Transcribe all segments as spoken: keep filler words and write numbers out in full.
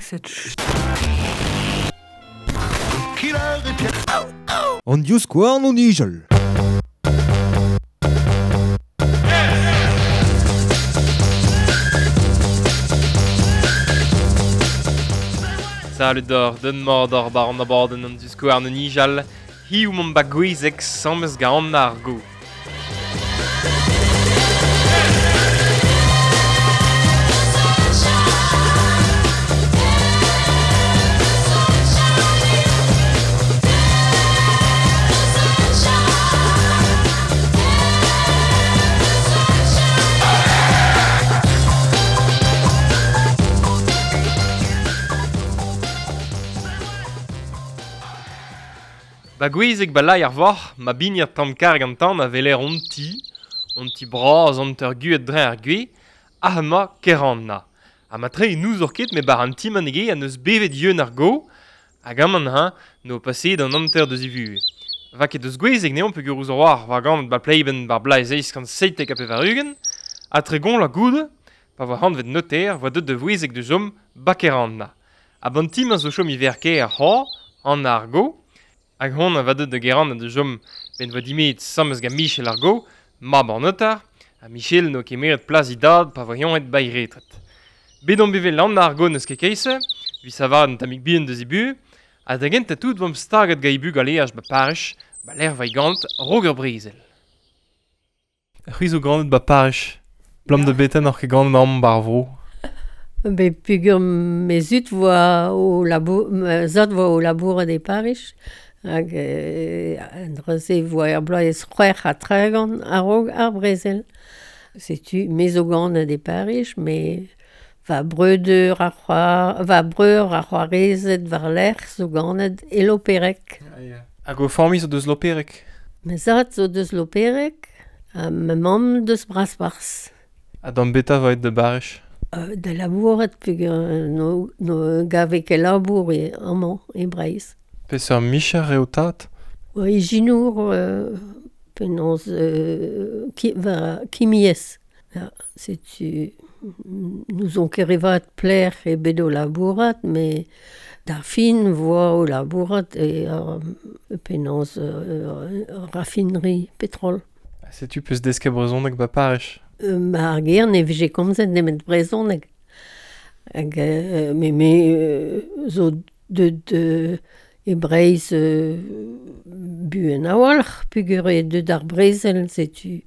Cette An divskouarn o nijal. Salut d'or, den mor d'or bar an abadenn an divskouarn o nijal, hiziv 'maomp ba Gouezeg 'sames gant Anna ar Go. Ba Gouezeg ba lai ar voc'h, ma bignir tamm karg an tan a weler hon ti, hon ti bras hanter guet dre ar gwez, ha ma Keranna. Ha ma tre n'ouzor ket me bar an ti man ege an eus bevet yeun ar go, hag aman ha no paseet an hanter deus e vuhez. Va ket deus Gouezeg neomp peogwir ouzh war war ganet ba Pleiben bar blaz eizh kant seitek ha pevar-ugent, ha tregont la goude, pa voa hanvet noter, voa deut da Vouezeg da chom ba Keranna. Ha ban ti ma zo chom iver ker ar c'hoar, an ar go, hag hon a va deut da Geranna da chom ben voa dimeet 'sames gant Michel ar Go, mab an notar, ha Michel n'o kemeret plas e dad pa voa ionet ba e retret. Bet omp bevet Anna ar Go n'eus ket keise, evit savat un tammig bihan deus e buhez, ha da gentañ tout 'vomp staget gant e bugaleaj ba Pariz, ba lec'h 'va e gant 'raok ur brezel. C'hwi zo ganet ba Pariz, 'blam da beten oc'h ket ganet amañ 'bar vro. Bet peogwir me zud 'voa o labour, ma zad 'voa o labourat e Pariz, hag euh, an dra-se 'voa er bloaz c'hwec'h ha tregont a-raok ar brezel. Setu me zo ganet e Pariz, me va breudeur ha c'hoar, va breur ha c'hoarezed war-lerc'h zo ganet e Lopereg. Ah, ya. Hag ho familh zo deus Lopereg? Ma zad zo deus Lopereg, ha ma mamm deus Brasparzh. Ha d'an beta 'vo aet da Bariz? Euh, da labourat peogwir no, no gave ket labour e amañ e Breizh. Peseurt micher eo tad? Oa ijinour euh, penaos euh, ki, war kimiezh. Ya, setu n'ouzon ket re vat pelec'h eo bet o labourat, met d'ar fin 'voa o labourat e euh, penaos euh, raffinerie petrol. Ha setu peus desket brezhoneg ba Pariz? Euh, ma ar gêr ne vije komzet nemet brezhoneg. Hag euh, me me euh, zo deut euh, e Breizh euh, buan a-walc'h peogwir eo deut ar brezel, setu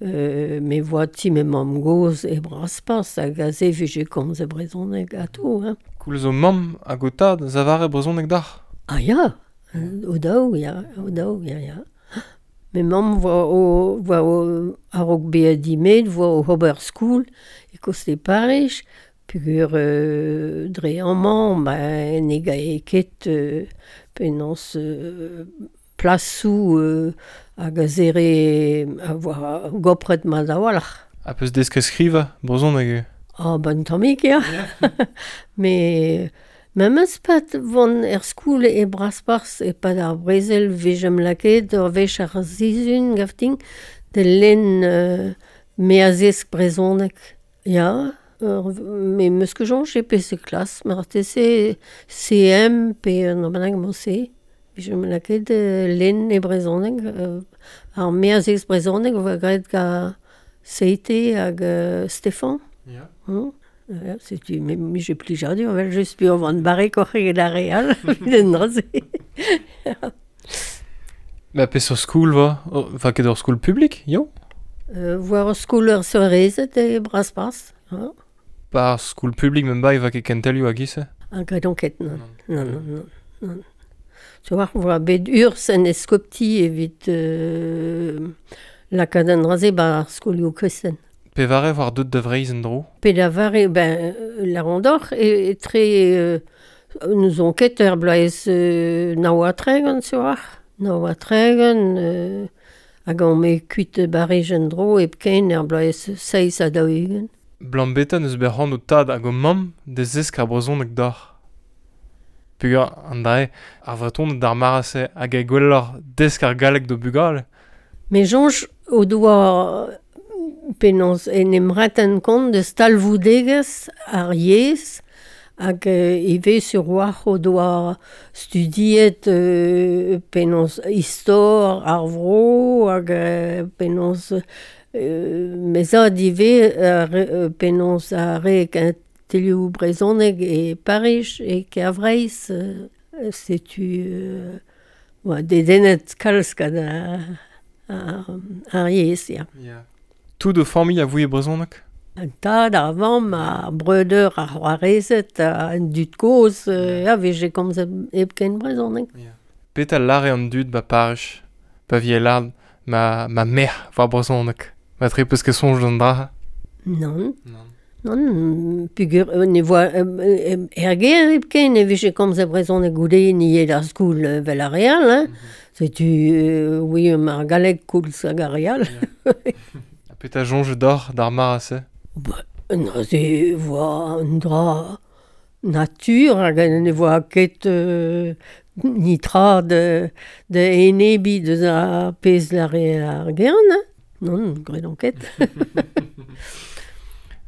euh, me 'voa ti ma mamm-gozh e Brasparzh hag aze 'vije komzet brezhoneg atav, hein. Koulz ho mamm hag ho tad 'zavare brezhoneg dac'h? Ah ya, o daou, ya, o daou, ya, ya. Me mamm 'voa o, 'voa o, a-raok bezañ dimeet 'voa o ober skol e koste Pariz, peogwir euh, dre amañ ba ne gae ket euh, penaos euh, plasoù euh, hag a zere a voa gopret mat a-walc'h. Ha peus desket skrivañ brezhoneg eo? Ah ben tammig ya. Met memes pad 'vont er skol e Brasparzh e-pad ar brezel 'vijemp lakaet ur wech ar sizhun gavtin da lenn euh, me a zesk brezhoneg. Ya, ur, me 'meus ket soñj e peseurt klas, marteze C M pe un dra bennak mod-se. 'Vijemp lakaet lenn e brezhoneg, euh, ar me a zesk brezhoneg 'voa graet gant Seite hag euh, Stefan. Ya. Hmm. Ya, setu me 'mije plijadur evel-just peogwir 'oan barrekoc'h eget ar re all evit an dra-se. Ma peseurt skol 'voa? 'Voa ket ur skol publik, yo? Euh, 'voa ur skol ur seurezed e Brasparzh. Ha. Ba ar skol publik me'm bae 'voa ket kentelioù a-giz-se? Ah, gredon ket, non. Non, non, non, non. Tu vois, 'voa bet urzh en eskopti evit euh, lakaat an dra-se 'ba ar skolioù kristen. Pevare war deut da Vreizh en-dro? Pedavare, ben, Larondoc'h e etre euh, n'ouzon ket er bloaz euh, nav ha tregont, sur war. Nav ha tregont, euh, hag on me kuit Bariz en-dro hepken er bloaz seizh ha daou-ugent. Blam beta n'eus bet c'hoant ho tad hag ho mamm da zesk ar brezhoneg deoc'h. Peogwir an dra-se, ar Vretoned d'ar mare-se hag e gwelloc'h desk ar galleg d'o bugale. Me soñj o doa penaos en em renten kont deus talvoudegezh ar yezh Hag euh, ivez sur war o doa studiet euh, penaos istor ar vro hag euh, penaos euh, mezad ivez euh, penaos ar re kentelioù brezhoneg e Pariz e Kêr-Vreizh euh, setu euh, oa dedennet kalz gant ar, ar, ar yezh, ya. Yeah. Tout o familh a voe brezhoneg? An tad, ar vamm, ar breudeur, ar c'hoarezed, an dud kozh, euh, a vije komzet hepken brezhoneg. Yeah. Petra lâre an dud ba Pariz, pa vi e lâret ma, ma merc'h war brezhoneg? Ma tre peus ket soñj d'an dra? Non. Non. Non, pugur, ne voa euh, er gêr hepken e vije komzet brezhoneg goude ni eo d'ar skol vel ar re all, hein. Mm-hmm. Setu, euh, oui, ar galleg koulz hag ar re all. Yeah. Ha petra soñj d'or d'ar mare-se? Ba, neuze voa un dra natur hag ne voa ket euh, nitra de, de enebi deus ar pezh lâre ar gern, hein. Non, gredon ket.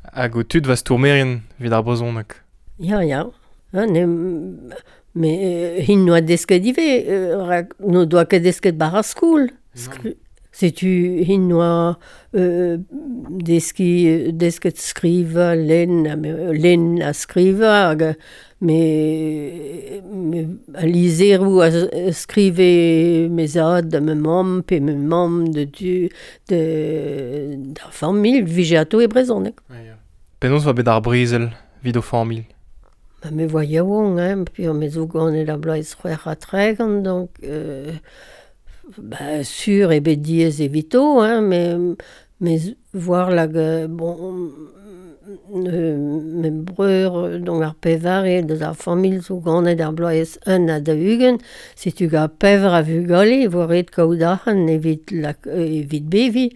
Hag o tud va stourmerien evit ar brezhoneg? Ya, ya. Hein, ne, me hin noa desket ivez, euh, rak n'o doa ket desket bar ar skol. Skri- Setu hin noa euh, deski, desket skrivañ, lenn, lenn ha skrivañ, hag me, me a lizheroù a skrive me zad da ma mamm, pe ma mamm de du, de, d'ar familh, vije atao e brezhoneg. Ja, ya. Penaos oa bet ar brezel evit o familh? Ba, me voa yaouank, hein, pe me zo ganet ar bloaz c'hwec'h ha tregont, donc euh, ba, sur eo bet diaes evito, hein, me, me voir lag, bon, euh, me breur, donc ar pevare deus ar familh zo ganet ar bloaz un ha daou-ugent, setu gant pevar a vugale, e vo ret kaout arc'hant evit, lak, evit beviñ.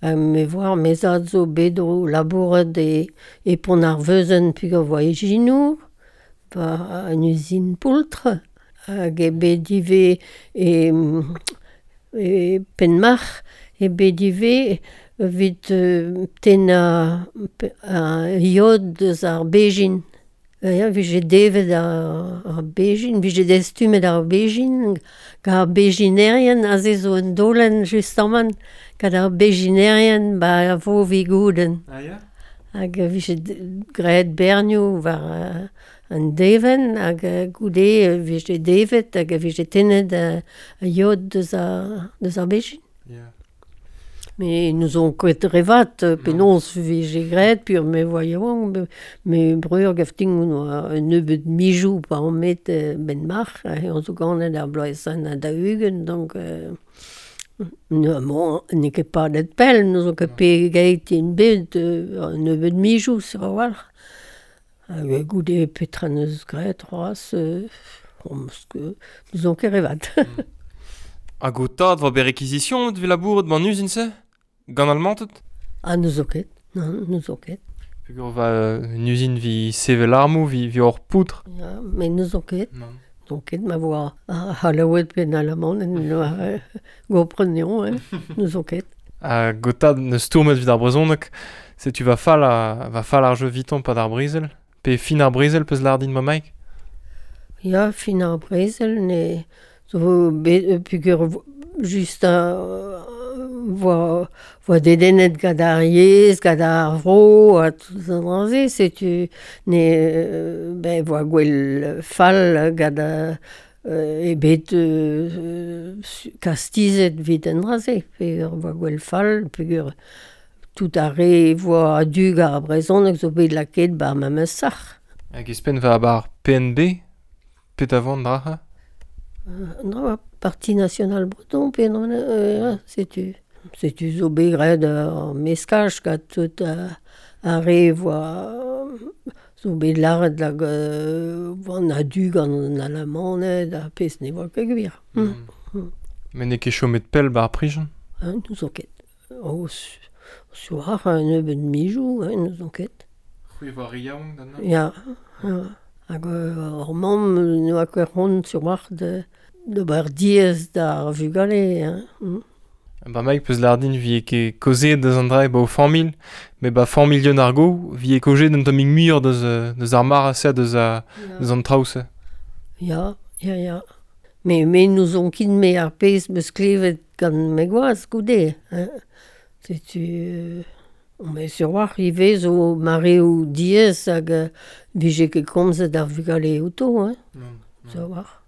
Ha me voir me zad zo bet o labourat e, e pont ar veuzenn peogwir voa ijinour, ba an uzin poultr, hag eo bet ivez e, e Penmarc'h, eo bet ivez evit euh, tennañ ar yod deus ar bezhin. Ya, vije devet ar, ar bezhin, vije destumet ar bezhin, gant ar bezhinerien, aze zo un daolenn justamant, gant ar bezhinerien ba a vo vigoudenn. Ah ya? Hag vije graet bernioù war uh, an devenn, hag goude vije devet, hag vije tennet a, a yod deus ar, deus ar bezhin. Yeah. Mais n'ouzon ket re vat, penaos vije graet, pur me voa yaouank, me, me breur gaftin oa un nebeud mijoù pa on met ben marc'h, on zo ganet ar bloaz un ha daou-ugent, donc euh, ne, bon, n'eo ket padet pell, n'ouzon ket pegeit int bet, un nebeud mijoù sur a-walc'h. Hag goude petra neus graet c'hoazh, euh, n'ouzon ket re vat. Hag o tad voa bet réquisition evit labourat ban uzin-se? Gant almanted? Ah, n'ouzon ket, non, n'ouzon ket. Peogwir va un uzin vi sevel armoù, vi, vi hor poudr. Ya, mais n'ouzon ket. Non. N'ouzon ket ma voa ar C'hallaoued pe an Alamaned, n'oa gopreneon, hein, n'ouzon ket. Hag o tad neus stourmet evit ar brezhoneg, setu va fall a, va fall ar jeu vitan pad ar brezel? Pe fin ar brezel peus lâret din ma Mike? Ya, fin ar brezel, ne zo bet peogwir just a voa, voa dedennet gant ar yezh, gant ar vro, ha tout an dra-se, setu ne ben voa gwell fall gant euh, e bet euh, kastizet evit an dra-se, peogwir voa gwell fall, peogwir tout ar re voa a-du gant ar brezhoneg zo bet lakaet bar ma meus sac'h. Hag espenn va bar P N B, pet a vent dra? Euh, non, Parti National Breton, pe non, euh, setu. Setu zo bet graet ar meskaj gant tout ar re voa zo bet lâret lag euh, an a-du gant an Alamaned ha pezh ne voa ket gwir. Mm. Mm. Met n'eo ket chomet pell bar prijon? Hein, n'ouzon ket. O, soar un nebeud mijoù, hein, n'ouzon ket. C'hwi voa re yaouank da neuze? Ya, ya. Hag euh, hor mamm n'oa ket c'hoant sur war de, d'ober diaes d'ar vugale, hein. Mm. Ba Mike peus lâret din vi ket kaozeet deus an dra e ba o familh, Me ba familh an argo, vi e koje d'un tammig muioc'h deus, deus ar mar a se, deus, a, deus an traoù se. Ya, ya, ya. Me, me n'ouzon ket me ar pezh meus klevet gant me gwaz goude. Hein. Setu... Euh, mais sur war ivez zo mareoù diaes hag euh, vije ket komzet ar vugale outo, hein. Non, non. Sur war.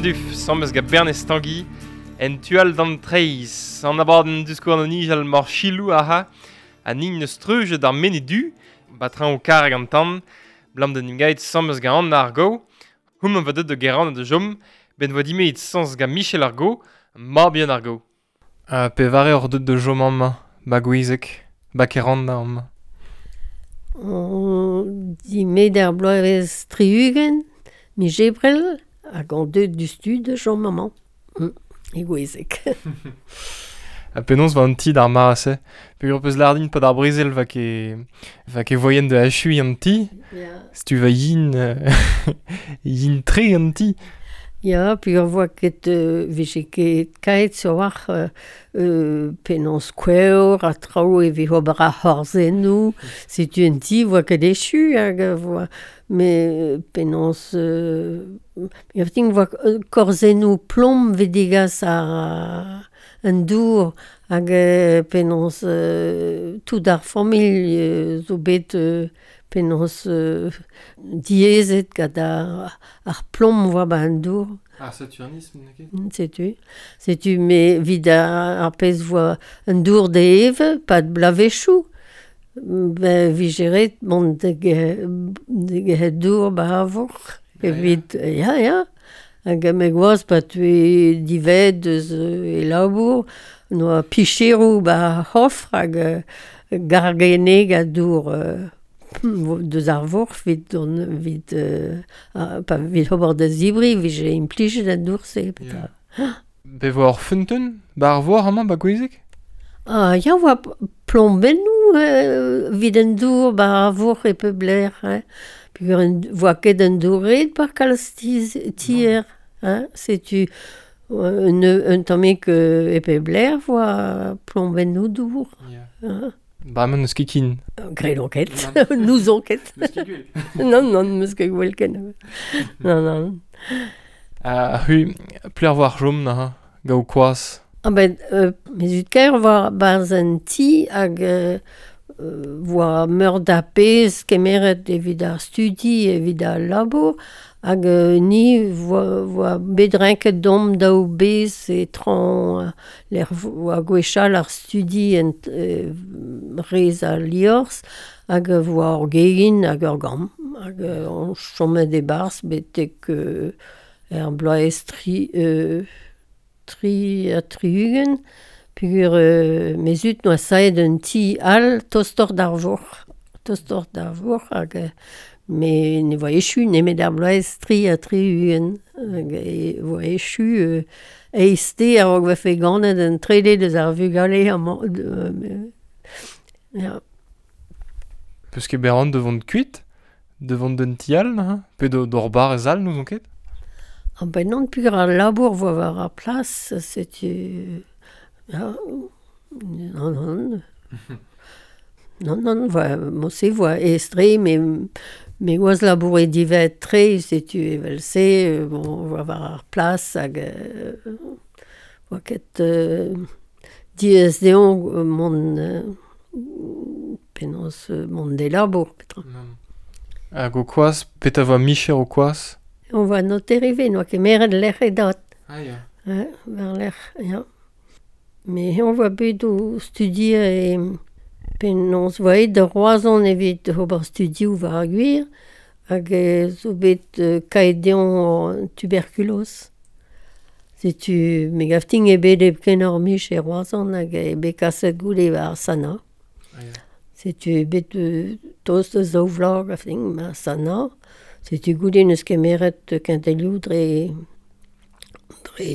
Duf, sammes gant Bernez Tanguy, en tual d'an treiz, an abadenn diskourn an nijal mor chilou aha, an nin neus treujet d'ar mene du, batran o karg an tan, blam den imgaet sammes gant an argo, hum an va deut de geran de jom, ben voa dimeet sans gant Michel Argo, ma bien Argo. Uh, pe vare ur deut de jom amma, ba gouizek, ba keran da amma. On dimet ar bloavezh tri-ugent, mi jebrel, hag an deut du stud de jom maman. Mm, e gouezek. A penaos va an ti d'ar mar ase. Peogwir peus lardin pa d'ar brezel va ke, va ke voyen de achui an ti. Yeah. Si tu va yin, yin tre an ti. Ya, peogwir voa ket euh, vije ket kaet sur war euh, euh, penaos kouer a traoù e vi ober ar c'horzennoù. Setu un ti voa ket echu hag voa me penaos euh, voa korzennoù plomb ve degas ar an dour hag euh, penaos euh, tout ar familh euh, zo bet euh, penaos euh, diaezet gant ar, ar plomb voa ba an dour. Ar saturnisme, n'eo ket? Setu. Setu me vid ar, ar pezh voa an dour de eve, pad blavechoù. Ben vije ret mont de ge, de ge dour ba ar vorc'h. Evit, ya, ya. Hag me gwaz pa tue dived eus e labour, noa picheroù ba c'hofr hag gargene a dour euh, deus ar vorc'h vit, don, vit, euh, a, pa vit ober da zibri, vije implijet an dour-se. Yeah. Be vo ur feunteun ba ar vor amañ ba Gouezeg? Ah, ya oa plombennoù euh, vit an dour ba ar vorc'h e pe bler. Hein. Peogwir en voa ket an dour-red par kalz tier. Hein. Setu un, un tammig euh, e pe bler voa plombennoù dour. Yeah. Hein. Ba amañ n'eus ket kin. Graet on ket, n'ouzon ket. N'eus ket gwell. Non, non, n'eus ket gwell ken. Non, non. Ha c'hwi, pler war chom na, gaou koaz? Ah ben, euh, me zud kaer war barz an ti hag euh, voa meur da pezh kemeret evit ar studi, evit ar labour, hag euh, ni voa, voa bet renket dom daou bez e tran euh, l'er voa gwechall ar studi en euh, rez al liorz, hag voa ur gegin hag ur gamm, hag euh, on chomet e barz betek euh, er bloaz tri... Euh, tri ha tri-ugent, peogwir euh, me zud noa saet un ti all tostoc'h d'ar vorc'h. Tostoc'h d'ar vorc'h hag euh, me ne voa echu nemet ar bloaz tri ha tri-ugent. Hag e voa echu euh, eizhte a-raok vefe ganet an trede deus ar vugale amañ. Euh, me, ya. Peus ket bet de vont kuit? De vont d'un ti all, hein? Pe d'or bar ez all, n'ouzon ket? Ah ben non, peogwir ar labour voa war ar plas, setu... Ja, non, non. Non, non, voa, mo-se voa estre, me, me oaz labour e divet tre, setu evel-se, bon, voa war ar plas hag... Euh, voa ket euh, diaes deomp mont... Euh, penaos mont de labour, petra. Hag o koaz, petra voa micher o koaz? On voa noter ivez, noa kemeret lec'h e dat. Ah, ya. Ouais, war lec'h, ya. Me on voa bet o studier e penaos voa aet da Roazhon evit ober studioù war ar gwir, hag zo bet euh, kaet deomp tuberkuloz. Setu me gav din eo bet hepken ur mich e Roazhon hag eo bet kaset goude war Sana. Ah, ya. Setu eo bet euh, tost eus daou vloaz gav din war Sana. Setu goude neus kemeret kentelioù dre, dre,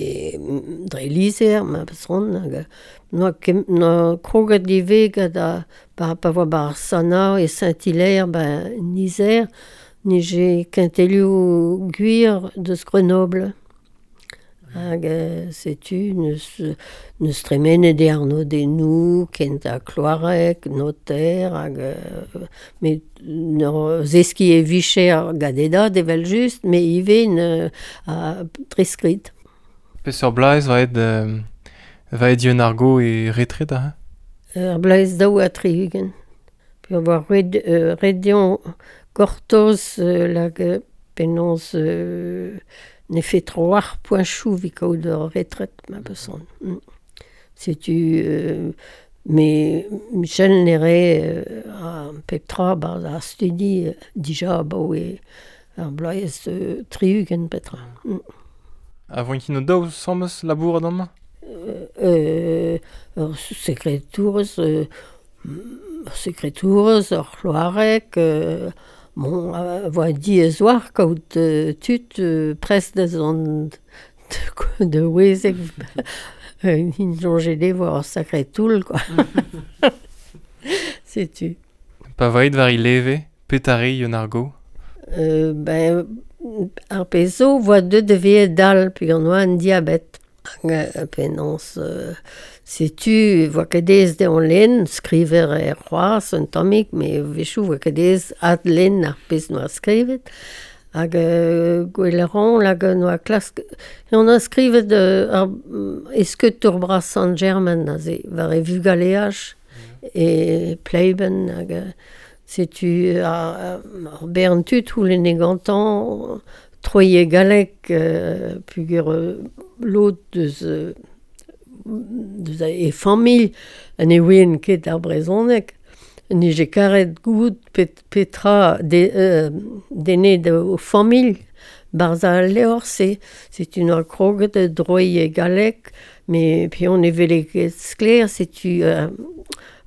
dre lizher, ma peson, hag noa, kem, noa kroget ivez gant a, pa, pa voa bar Sana e Saint-Hilaire, ba Nizer, nije kentelioù gwir deus Grenoble. Hag euh, setu neus, neus tremenet e arnodennoù, kent ha kloareg, noter, hag euh, met neur zeski e vicher gant e dad evel just, me ivez ne, a treskrit. Peseurt bloaz va aet, euh, va aet Yeun ar Gow e retret a? Ur bloaz daou ha tri-ugent. Peogwir voa ret, euh, ret deomp gortoz euh, lag penaos euh, ne fait tro ar poenchoù evit kaout ur retret, ma peson. Mm. Setu, euh, me Michel nere euh, a pep tra barzh ar studi euh, dija abaoe ar bloaz euh, tri-ugent petra. Mm. A voint ket o daou sammes labour amañ? Euh, euh, ur sekretourez, euh, ur sekretourez, ur c'hloareg, euh, bon, a voa diaes war kaout euh, tud euh, prest da zont de, de Ouezeg. Int soñjet eo war ur sakre toull, quoi. Setu. Pa voa aet war he leve, petare Yeun ar Gow? Euh, ben, ar pezh zo voa deuet da vezañ dall peogwir noa an diabet. Hag penaos euh, setu voa ket aes deomp lenn, skriver er c'hoazh un tammig, met a-wechoù voa ket aes adlenn ar pezh noa skrivet. Hag euh, gweleran hag noa klask... On a skrivet euh, ar eskeut bras Sant-Germain aze, war e vugaleaj mm. e pleiben hag setu ar, ar bern tud houlen e gantan troie galek euh, pugur lod deus, deus e familh an e ouen ket ar brezhoneg. Nije karet gout pet, petra de, euh, dene de o familh barza al leor, c'est, c'est une kroget droie galek, mais puis on evele ket sklaer, setu euh,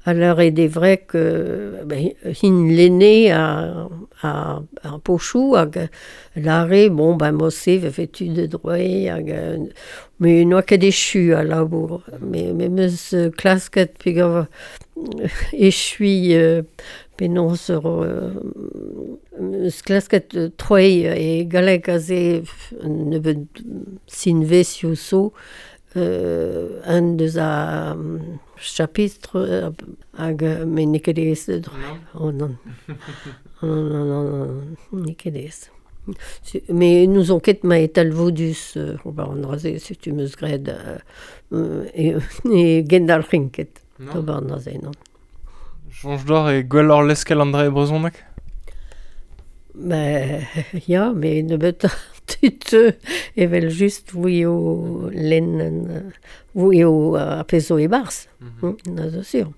a l'heure est des vrai que ben, hin l'aîné a, a, a pochou hag l'arrêt, bon ben mosse vefe-tu de droit hag mais noa ket echu a labour mais mais meus klasket peogwir echui euh, penaos ur euh, meus klasket troei e galleg aze nebeud sinvezioù zo euh, un deus a chapitre hag mais n'eo ket aes de droit. Oh non. Non, non, non, non, n'eo ket aes. Mais nous on ket ma etalvodus euh, ober an draze, setu meus graet euh, e, e gendalc'hin ket. Ober an draze, non. Soñj d'or e gwelloc'h leskel an dra e brezhoneg? Ben, ya, mais nebeut tud evel just voui o lenn, voui o ar pezh zo e-barzh, mm -hmm. na zo sur.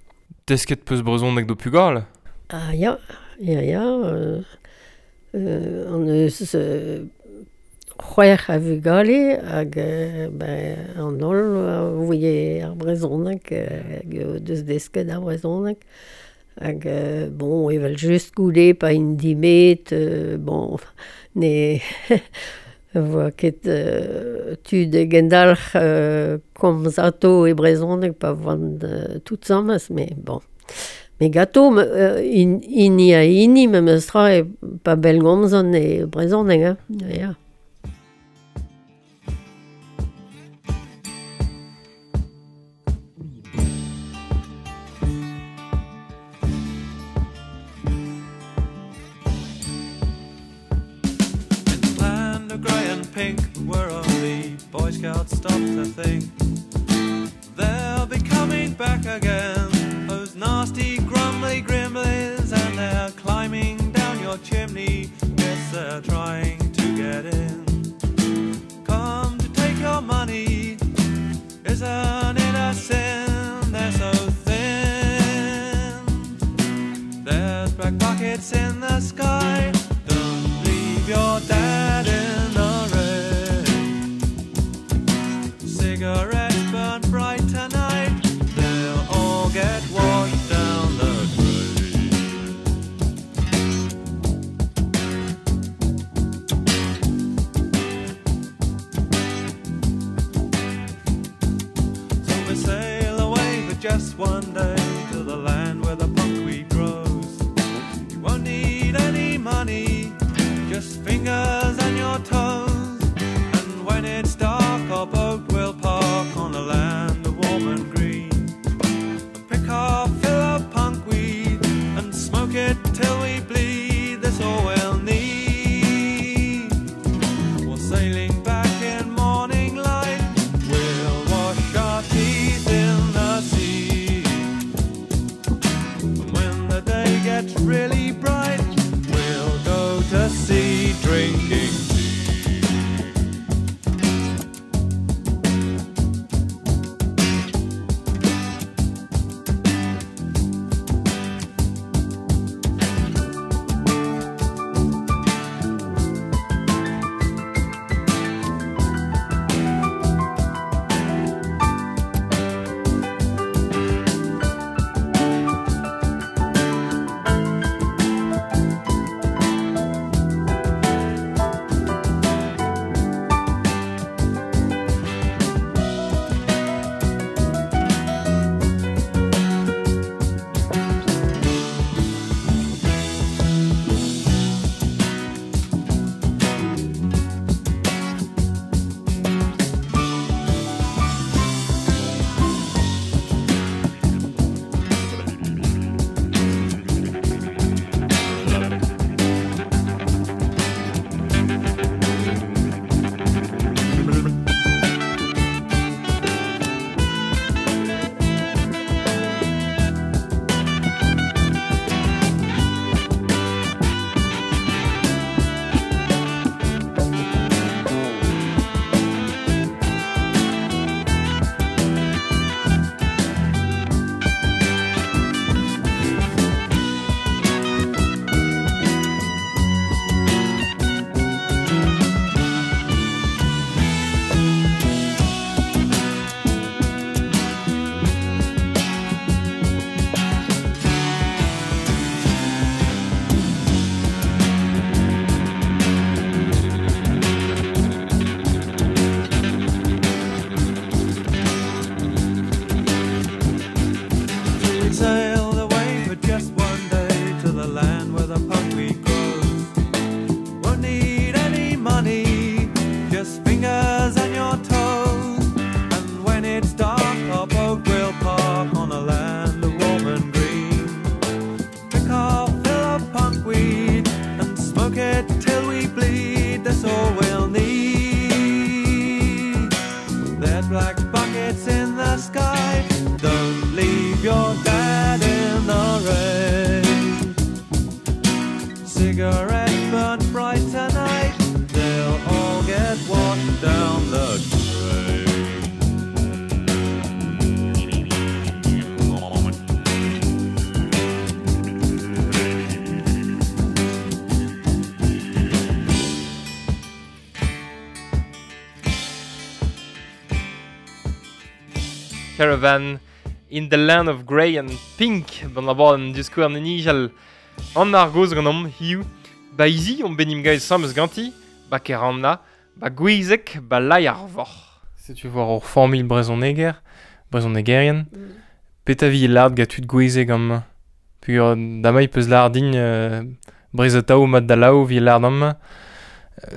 Desket peus brezhoneg d'ho pugale? Ah ya, ya, ya, euh, euh, an eus euh, c'hwec'h a vugale hag euh, ben, an holl voie ar brezhoneg, hag deus desket ar brezhoneg. Hag, euh, bon, evel just goude pa int dimet, euh, bon, ne voa ket euh, tud e gendalc'h euh, komz ato e brezhoneg pa voant euh, tout samez, mais bon. Mais gato, euh, in, hini a hini, memes tra e pa bellgomzan e brezhoneg, hein, ya. Pink, where only Boy Scouts stop to think. They'll be coming back again, those nasty grumbly grimblies, and they're climbing down your chimney. Yes, they're trying to get in. Come to take your money, isn't it a sin? They're so thin. There's black buckets in the sky. Don't leave your dad in the cigarettes burn bright tonight, they'll all get washed down the drain. So we sail away for just one day to the land where the punkweed grows. You won't need any money, just fingers and your toes. And when it's dark, our boat will park on the land of warm and green. And pick our fill of punkweed and smoke it till we bleed. That's all we'll need. We're sailing back in morning light. We'll wash our teeth in the sea. sailed away for just one day to the land where the punkweed grows. Won't need any money, just fingers and your toes. And when it's dark, our boat will park on a land of warm and green. Drink our fill of punkweed and smoke it till we bleed. That's all we'll need. There's black buckets in the sky. Don't leave your dad in the rain. Cigarette burnt bright tonight. They'll all get washed down the drain. Caravan in the land of grey and pink ban a an diskouer nijal an ar goz gant om hiu ba izi on benim gaez samez ganti ba keranna ba gwizek ba lai ar vor. Setu war ur familh brezoneger, brezonegerien, mm. Peta vi lard ga tud gwizek am pugur damai peus lardin euh, brezetao mat da lao vi lard am. Euh...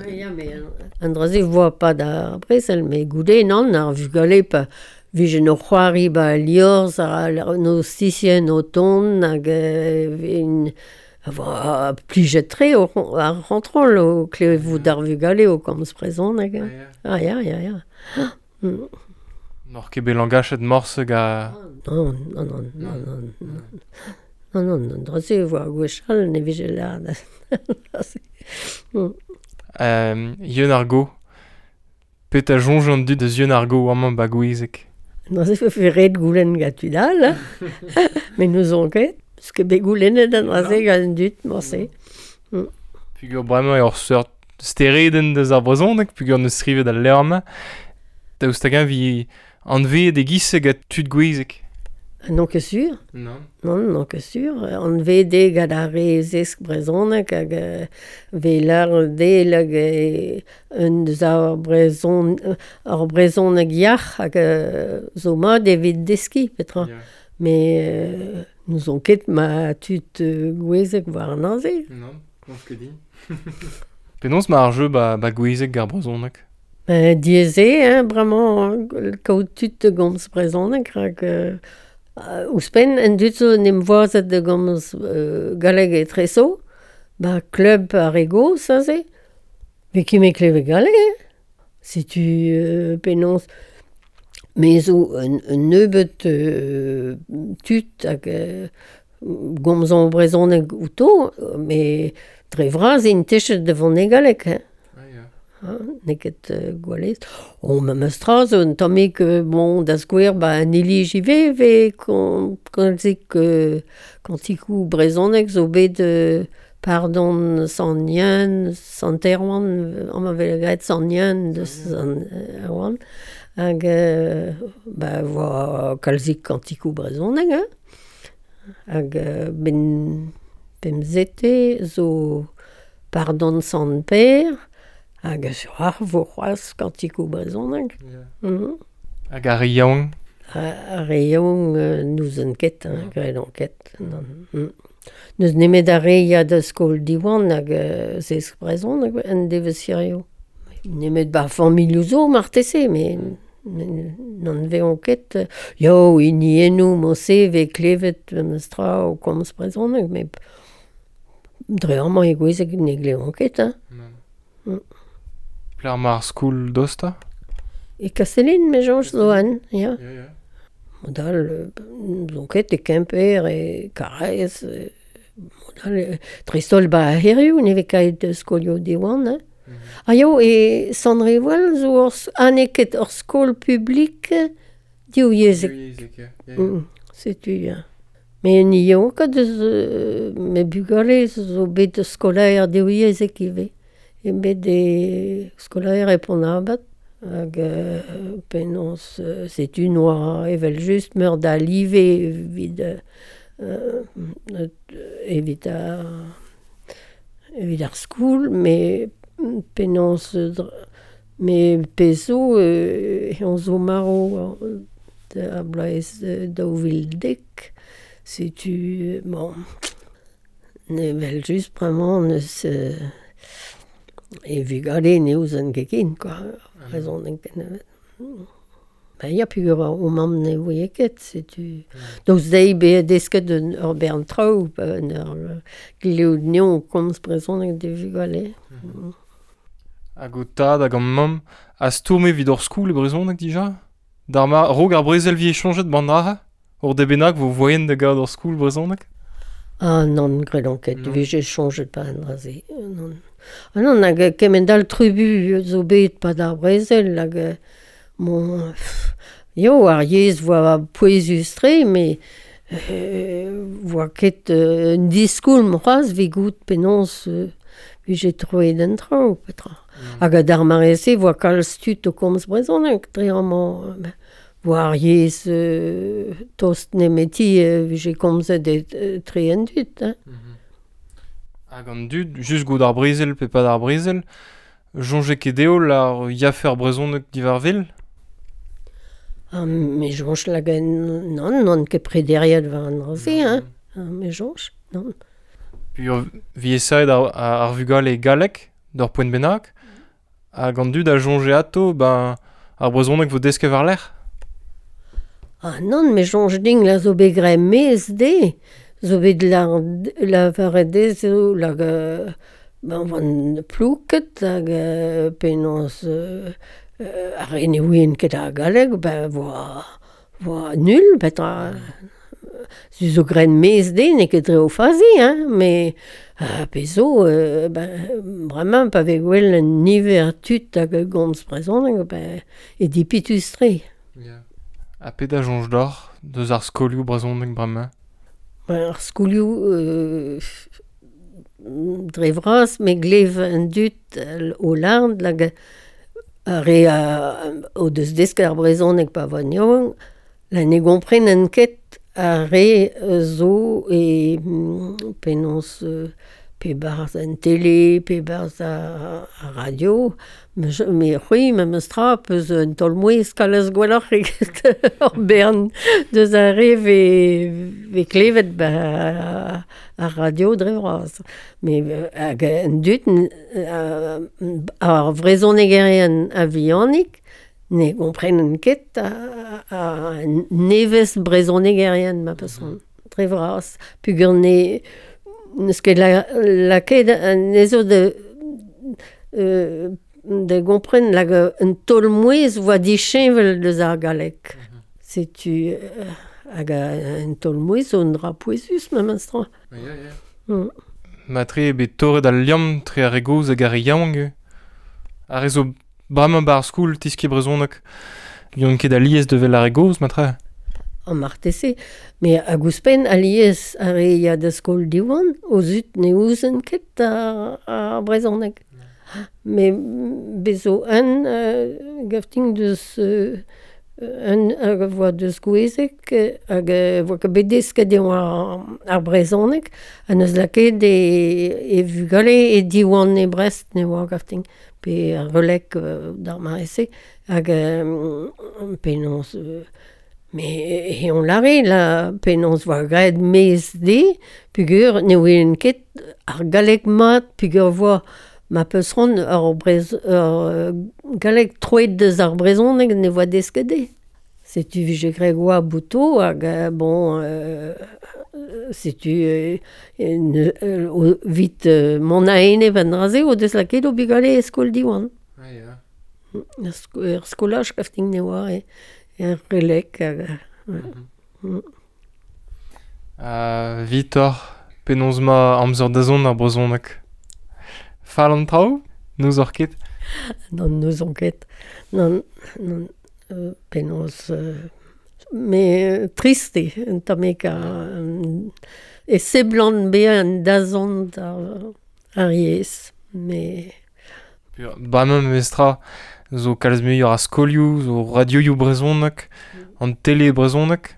Ya, mais an draze voa pa da brezel, mais goude nan ar vugale pa Vije no c'hoari ba liorz ar no sisien o ton hag en a plijet tre o ar rentrol o klevout d'ar vugale o komz prezon hag. Ah ya, ya, ya. Mm. N'or ket bet langachet morse ga... Non, non, non, non, non, non. Non, non, non, draze voa gwechall ne vije lard. Euh, Yeun ar go. Pet a jonj an dud eus Yeun ar go amañ ba gwizek. Non, se fe ret goulenn gant tud all, mais nous on ket, parce que bet goulennet an draze gant dud, morse. Mm. Pugur bremañ ur seurt stereden deus ar brezhoneg, pugur neus skrivet al levr-mañ. Daoust hag-eñ vi anveet e giz gant tud gwizek. Non ket sur. Non. Non, non ket sur. Anveet eo gant ar re zesk brezhoneg hag ve lar del hag un deus ar brezhon ar brezhoneg yac'h hag zo mat evit deskiñ petra. Yeah. Mais euh, nous on ket ma tud gwezek war an aze. Non, non ket din. Penaos ma ar jeu ba, ba gwezek ar brezhoneg? Ben, diaes eo, hein, bremañ kaout tud da gomz brezhoneg rak euh, Uh, ouzhpenn en dud zo n'em voazet da gomz euh, galleg etrezo, ba klub ar re gozh aze, ve ket me kleve galleg, hein. Setu euh, penaos me zo un, un nebeut euh, tud hag euh, gomzan brezhoneg outo, mais dre vras int techet da vont e galleg, hein. Hein, n'eo ket euh, gwallez. O, memes tra zo un tammig euh, bon, da skouer ba an ilij ivez ve kon, kalzik euh, kantikou brezhoneg zo bet euh, pardon Sant Yann, Sant Erwan, amañ vez graet Sant Yann deus Sant Erwan, hag euh, ba voa kalzik kantikou brezhoneg, hein. Hag euh, ben pemzete zo pardon Sant Per, hag sur ar vo c'hoazh kantikou brezhoneg. Yeah. Mm -hmm. Hag ar re yaouank? Ar re yaouank euh, n'ouzon ket, hein, graet an ket. Non. Mm. N'eus nemet ar re ya da skol Diwan hag euh, zesk brezhoneg en devezh hirio. Nemet ba familhoù zo marteze, mais n'an veont ket. Yo, hiniennoù morse vez klevet memes tra o komz brezhoneg, mais dre amañ e gwezeg ne glevont ket, hein. Non. Mm. Pler mar skoul dosta? E Kastellin, me soñj zo an, ya. Ya, ya. Modal, n'ouzon ket e Kemper, e Karaez, e, modal, e, dreist-holl ba hiriv, ne vez kaet skolioù Diwan, hein. Mm -hmm. Ah yo, e Sant-Rivoal zo ur, ha n'eo ket ur skol publik divyezhek. Divyezhek, ya. Ya, ya. Mm, setu, ya. Mais ni yaouank ket deus euh, me bugale zo bet skolaer divyezhek ivez. E bet e skolaer e Pont-an-Abad hag euh, penaos euh, setu noa evel just meur da live evit euh, evit ar evit ar skoul, mais penaos me pezo euh, on zo maro a bloaz daou vil dek Setu, bon, ne vel just bremañ neus euh, e vugale ne ouzon ket ken, quoi. Brezhoneg ken. Ben ya, peogwir o mamm ne voie ket, setu... Daoust dezhi bezañ desket un ur bern traoù, un ur gleout neon komz brezhoneg d'e vugale. Hag o tad hag an mamm a stourme evit hor skoul e brezhoneg dija? D'ar ma raok ar brezel vi chañjet ban dra? Ur de bennak vo voien da gaout hor skoul brezhoneg? Ah non, gredon ket, vije chañjet pa an dra-se. Non. Ah non, hag kement all trubu zo bet pa d'ar brezel, hag bon, pff, yo, ar yezh voa pouezus-tre, mais euh, voa ket euh, un diskoulm c'hoazh evit goût penaos euh, vije troet an traoù, petra. Mm. Hag d'ar mare-se voa kalz tud o komz brezhoneg, dre amañ, ben, voa ar yezh euh, tost nemeti euh, vije komzet e tre an dud. Hein. Mm-hmm. Hag an dud, just gout ar brezel pe pas d'ar brezel, soñje ket dezho ar yafe ar brezhoneg diwar vil? Ah, me soñj lag non, non ket prederiet war an dra-se, hein. Ah, me soñj, non. Puis vi esaet ar, ar vugale e galleg, d'ur poent bennak, hag an dud a soñje ato, ben, ar brezhoneg vo desket war-lerc'h? Ah non, me soñj din la zo bet graet mez de, zo bet la, lavaret dezho lag ben van plouket hag penaos euh, ar re ne ouient ket ar galleg, ben voa, voa nul, petra. Zu zo graet mez de, n'eo ket dre o fazi, hein, mais euh, pezo, euh, ben, bremañ pa vez gwell un niver tud hag gomz brezhoneg, ben, e dipitus-tre. Yeah. Ha pet a soñj deoc'h deus ar skolioù brezhoneg bremañ? Ben, ar skolioù euh, dre vras, me glev an dud o lard, lag ar re a, o deus desket ar brezhoneg pa voa yaouank, la ne gomprenen ket ar re zo e penaos pe barzh an tele, pe barzh ar, ar radio, me, me c'hwi memes tra peus un taol-mouezh kalz gwelloc'h eget ur bern deus ar re ve, ve klevet ba ar radio dre vras. Me hag an dud ar vrezhonegerien a-vihanik ne gomprenen ket a, a nevez brezhonegerien ma peus dre vras. Peogwir ne neus ket la, lakaet anezho de, euh, de gompren lag un taol-mouezh voa disheñvel deus ar galleg. Mm-hmm. Setu euh, hag un taol-mouezh zo un dra pouezus memes tra. Yeah, yeah. Mm. Matre eo bet torret al liamm tre ar re gozh hag ar re yaouank. Ar re zo bremañ ba ar skoul tiskiñ brezhoneg. N'on ket alies de vel ar re gozh, matre? An marteze, me hag ouzhpenn alies ar re ya da skol Diwan, o zud ne ouzen ket ar, ar brezhoneg. Me bezo un euh, gafting deus euh, un hag a voa deus Gouezeg hag a voa ket bet desket eo ar, ar brezhoneg, ha neus lakaet e, e vugale e Diwan e Brest ne oa gafting, pe ar relek euh, d'ar mare-se, hag euh, penaos... Euh, Mais e on lare la penaos voa graet mez de, peogwir ne ouen ket ar galleg mat, peogwir voa ma peus ran ur, brez, ur galleg troet deus ar brezhoneg ne voa desket de. Setu vije graet oa bouto hag bon, euh, setu euh, ne, euh, vit euh, mont a-enep an dra-se o deus lakaet o bugale e skol Diwan. Ah, yeah. Er skolaj kafting ne oa e. Er relek hag... Mm. Mm. Uh, Vitor, penaos ma amzer dazont ar brezhoneg? Fall an traoù? N'ouzoc'h ket? Non, n'ouzon ket. Non, non, euh, penaos... Euh, me trist eo, un tammig a... E seblant bezañ an dazont ar, ar yezh, mais... Bremañ memestra zo kalz muioc'h a skolioù, zo radioioù brezhoneg, an tele brezhoneg.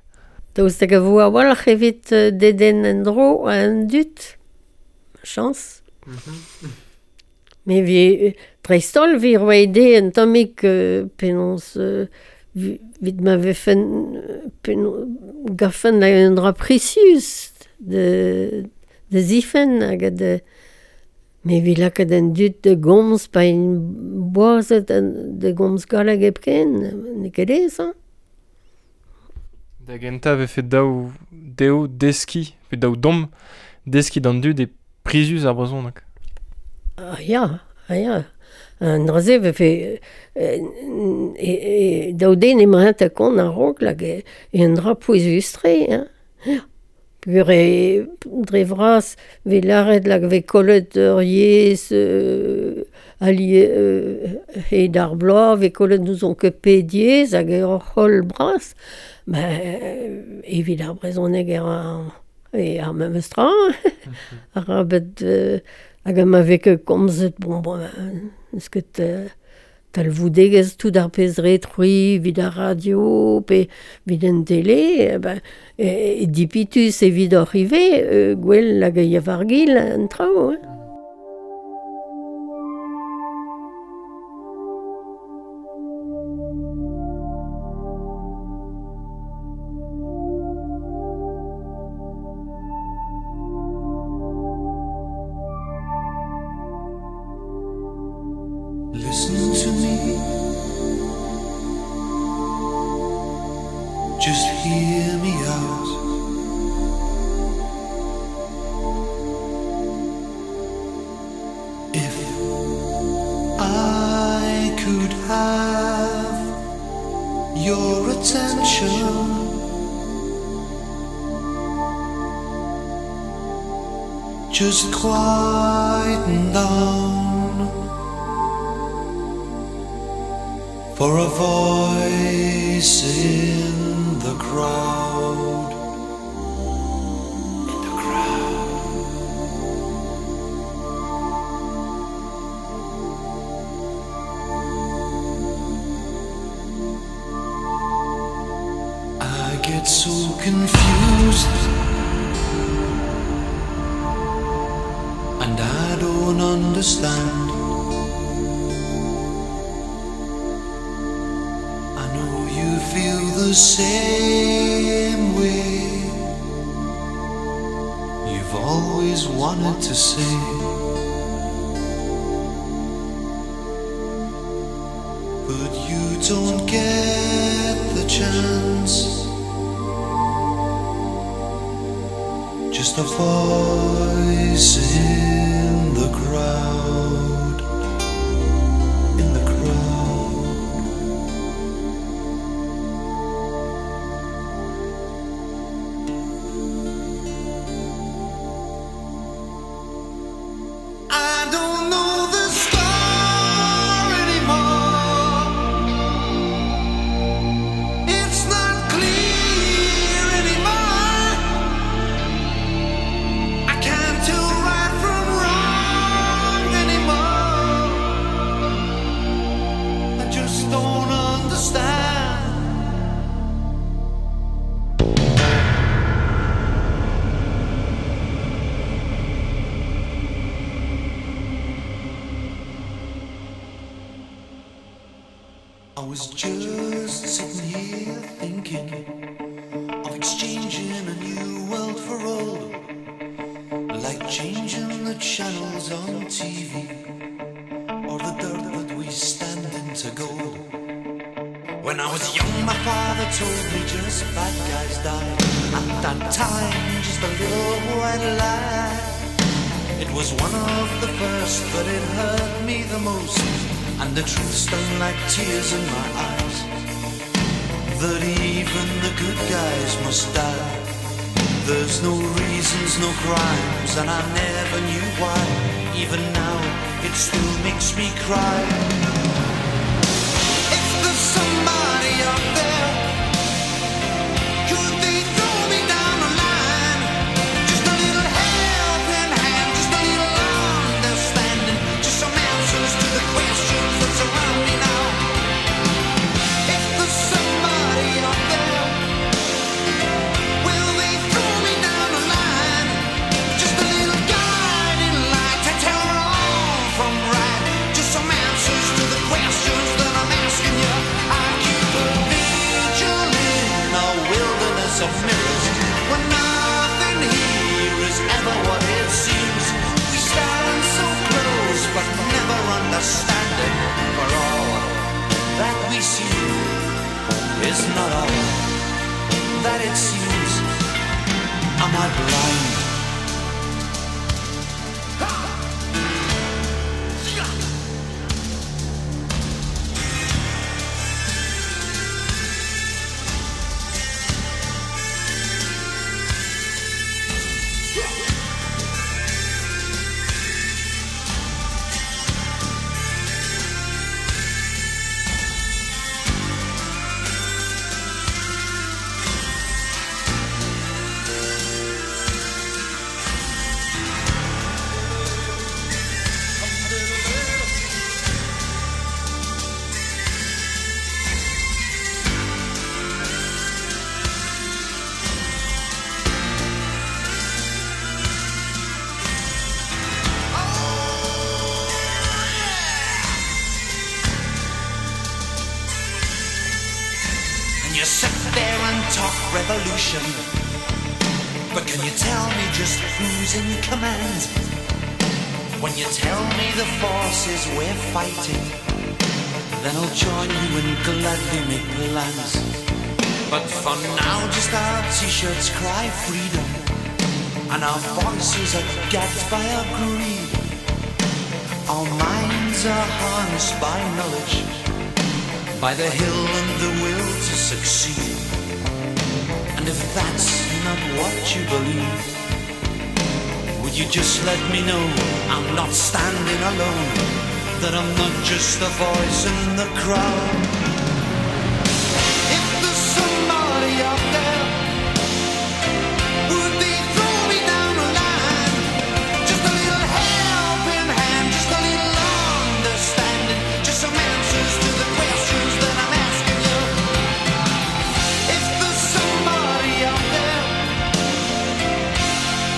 Daoust hag a vo a-walc'h evit dedenn en-dro an dud, chañs. Mm-hmm. Me vi dreist-holl vi roet dezhe un tammig euh, penaos euh, vit ma vefen penaos gafen la un dra precius de, de zifen hag de... Me vi lakaet an dud de gomz pa in boazet de gomz galleg hepken, n'eo ket aes, hein. Da gentañ vefe daou dezho deskiñ, pe daou domm deskiñ d'an dud e prizius ar brezhoneg. Ah ya, ah ya. An dra-se vefe e, e, e, daou den emañ ta kont a-raok lak e, e un dra pouezus-tre, hein. Peogwir e dre vras vez lâret lak vez kollet ur yezh euh, ali euh, hed ar bloaz, vez kollet n'ouzon ket pet yezh hag ur c'holl bras. Ben, evit ar brezhoneg er ar, e ar memes tra, arabet euh, hag ma vez ket komzet, bon, bon, n'eus ket euh, talvoudegezh tout ar pezh re trui evit ar radio pe evit an tele, eh ben, e, e dipitus evit hoc'h ivez, euh, gwell hag e war-gil an traoù, hein. Listen to me, just hear me out. If I could have your attention, just quieten down for a voice in the crowd, in the crowd. I get so confused, and I don't understand. Feel the same way. You've always wanted to say, but you don't get the chance. Just a voice in the crowd, in the crowd. I don't know the star anymore. It's not clear anymore. I can't tell right from wrong anymore. I just don't understand. I was just sitting here thinking of exchanging a new world for old, like changing the channels on T V, or the dirt that we stand in to gold. When I was young, my father told me just bad guys die. At that time, just a little white lie. It was one of the first, but it hurt me the most. And the truth stung like tears in my eyes, that even the good guys must die. There's no reasons, no crimes, and I never knew why. Even now, it still makes me cry. If there's somebody out there, could they throw me down a line? Just a little helping hand, just a little understanding, just some answers to the questions that surround me now. If there's somebody out there, will they throw me down a line? Just a little guiding light to tell wrong from right, just some answers to the questions. wilderness of mirrors, where nothing here is ever what it seems. We stand so close but never understand it, for all that we see is not all that it seems. Am I blind? You sit there and talk revolution, but can you tell me just who's in command? When you tell me the forces we're fighting, then I'll join you and gladly make plans. But for now just our t-shirts cry freedom, and our voices are gagged by our greed. Our minds are harnessed by knowledge, by the hill and the will to succeed. And if that's not what you believe, would you just let me know I'm not standing alone, that I'm not just a voice in the crowd? If there's somebody out there, would they throw me down a line? Just a little helping hand, just a little understanding, just some answers to the questions that I'm asking you. If there's somebody out there,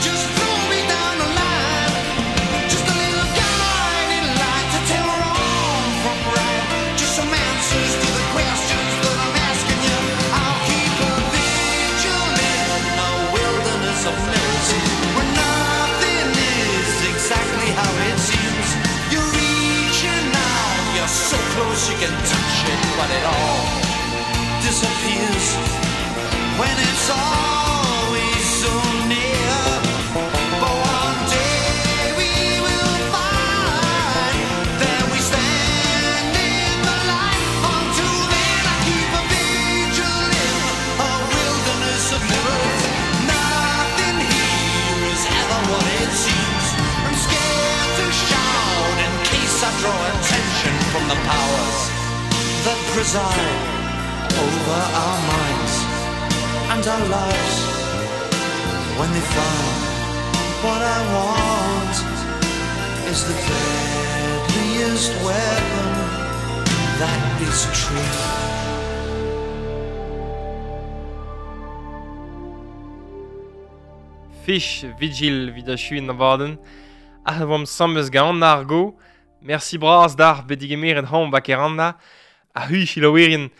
just throw me down a line. Just a little guiding light to tell wrong from right. Just some answers to the questions that I'm asking you. I'll keep a vigil in a wilderness of mirrors, where nothing is exactly how it seems. You're reaching out, you're so close you can touch it, but it all disappears when it's always so near. But one day we will find that we stand in the light. Until then I keep a vigil in a wilderness of mirrors. Nothing here is ever what it seems. I'm scared to shout in case I draw attention from the powers that preside over our minds and our lives. When they find what I want is the deadliest weapon, that is truth. Fish Vigil vid achuin abadenn. Ah oamp sambez gant ar go. Merci bras d'ar bedigemeret hañ bakeranda. A hui chilaouerien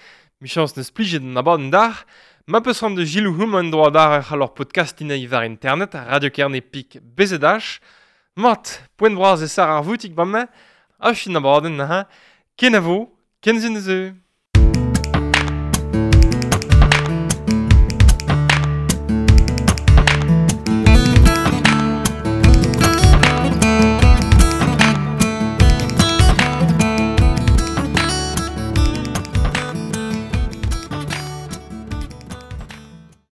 michans neus plijet an abadenn d'ar. Ma peus ran de gilou hum an droa d'ar ur c'hallor podcast ina war internet, Radio Kerne pik B Z H. Mat, poent bras e sar ar voutik bamañ. Achuin abadenn, ha. Kenavo, kenzin eus.